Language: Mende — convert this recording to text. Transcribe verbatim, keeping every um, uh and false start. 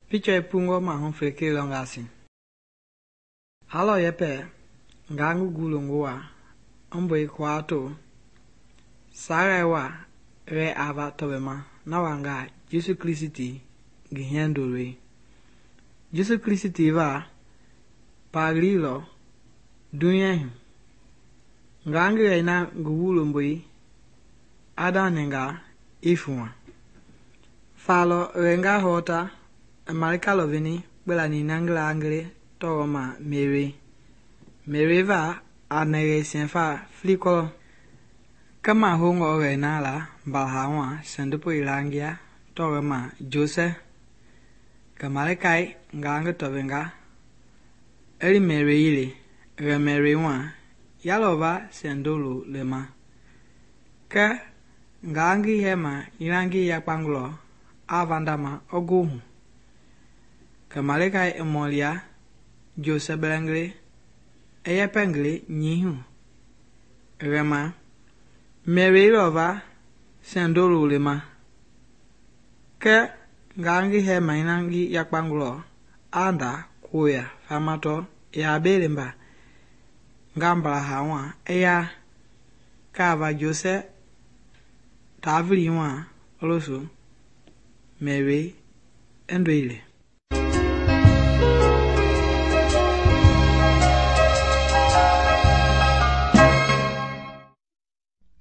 Picture pungo mahu feke longasi. Halo yepe ngangu gulunguwa omboi kwato sarewa re ava tobema na wanga Jesu Kristi gihendolwe. Jesu Kristi va paglilo dunyehi ngangi reina guwulomboi adaninga ifuwa. Falo renga hota Malika lovini belani nangla angre toma Mary. Mary va anere sienfa fliko. Kama hongo reina la balhawa sendupo ilangia toma Jose. Kamalikai ngangi tovenga. Eli Mary ile re Mary wa yalova sendulu lema. Ke ngangi hema ilangi yakpangulo avandama oguhu. Kamalikai emolia Jose belengre eyepengre nyihu. Rema Mary lova sendulu lema. Ke ngangi hema ilangi yakpangulo anda kuya famato ya belemba ngambala hawa eya kava Jose tavili wa oloso Mary endwele.